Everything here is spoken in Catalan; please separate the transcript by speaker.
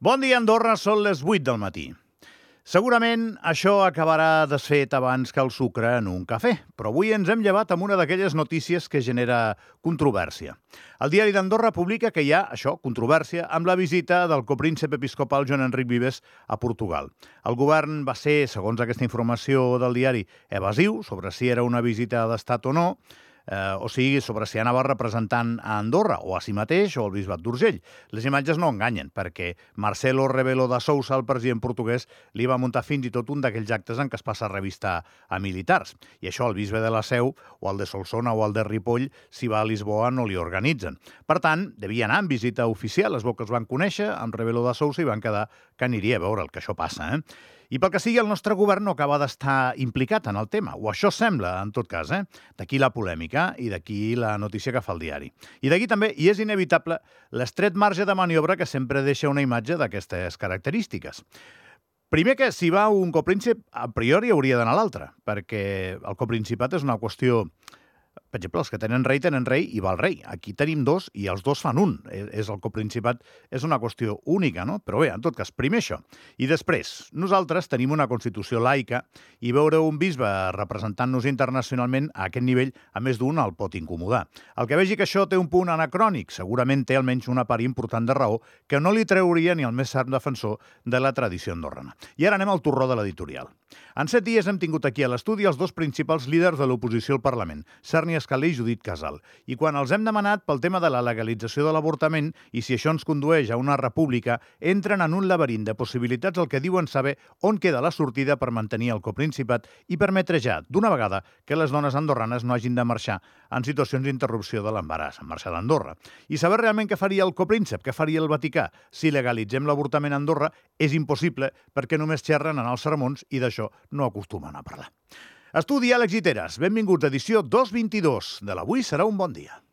Speaker 1: Bon dia, Andorra, són les 8 del matí. Segurament això acabarà desfet abans que el sucre en un cafè, però avui ens hem llevat amb una d'aquelles notícies que genera controvèrsia. El diari d'Andorra publica que hi ha, controvèrsia, amb la visita del copríncep episcopal Joan Enric Vives a Portugal. El govern va ser, segons aquesta informació del diari, evasiu sobre si era una visita d'estat o no, o sigui, sobre si anava representant a Andorra o a si mateix o al bisbat d'Urgell. Les imatges no enganyen, perquè Marcelo Rebelo de Sousa, el president portuguès, li va muntar fins i tot un d'aquells actes en què es passa a revistar a militars. I això el bisbe de la Seu, o el de Solsona o el de Ripoll, si va a Lisboa no li organitzen. Per tant, devia anar en visita oficial. Les boques van conèixer amb Rebelo de Sousa i van quedar que aniria a veure el que això passa, I pel que sigui, el nostre govern no acaba d'estar implicat en el tema, o això sembla, en tot cas, D'aquí la polèmica i d'aquí la notícia que fa el diari. I d'aquí també, i és inevitable, l'estret marge de maniobra que sempre deixa una imatge d'aquestes característiques. Primer que si va un copríncep, a priori hauria d'anar l'altre, perquè el coprincipat és una qüestió... Per exemple, els que tenen rei i va el rei. Aquí tenim dos i els dos fan un. És el coprincipat, és una qüestió única, no? Però bé, en tot cas, primer això. I després, nosaltres tenim una Constitució laica i veure un bisbe representant-nos internacionalment a aquest nivell, a més d'un, el pot incomodar. El que vegi que això té un punt anacrònic, segurament té almenys una part important de raó que no li trauria ni el més ferm defensor de la tradició andorrana. I ara anem al torró de l'editorial. En 7 dies hem tingut aquí a l'estudi els dos principals líders de l'oposició al Parlament, Serni Escalé i Judit Casal. I quan els hem demanat pel tema de la legalització de l'avortament i si això ens condueix a una república, entren en un laberint de possibilitats el que diuen saber on queda la sortida per mantenir el coprincipat i permetre ja, d'una vegada, que les dones andorranes no hagin de marxar en situacions d'interrupció de l'embaràs, en marxar d'Andorra. I saber realment què faria el copríncep, què faria el Vaticà. Si legalitzem l'avortament a Andorra, és impossible perquè només xerren en els sermons i d'això no acostumen a parlar. Estudi Àlex Guiteras. Benvinguts a edició 222 de l'Avui serà un bon dia.